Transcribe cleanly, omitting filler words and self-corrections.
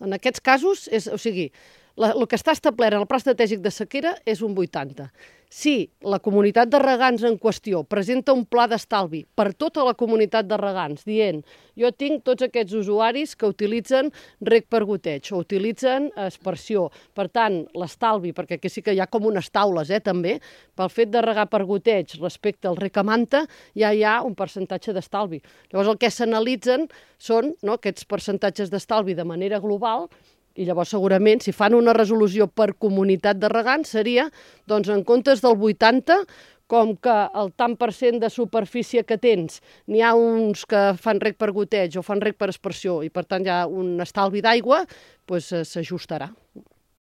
En aquests casos, el que està establert en el Pla Estratègic de Sequera és un 80. Si la comunitat de regants en qüestió presenta un pla d'estalvi per tota la comunitat de regants, dient jo tinc tots aquests usuaris que utilitzen reg per goteig o utilitzen aspersió, per tant, l'estalvi, perquè aquí sí que hi ha com unes taules, també, pel fet de regar per goteig respecte al reg a manta, ja hi ha un percentatge d'estalvi. Llavors el que s'analitzen són aquests percentatges d'estalvi de manera global. I llavors, segurament, si fan una resolució per comunitat de regants, seria, doncs, en comptes del 80, com que el tant per cent de superfície que tens, n'hi ha uns que fan reg per goteig o fan reg per aspersió i, per tant, hi ha un estalvi d'aigua, doncs s'ajustarà.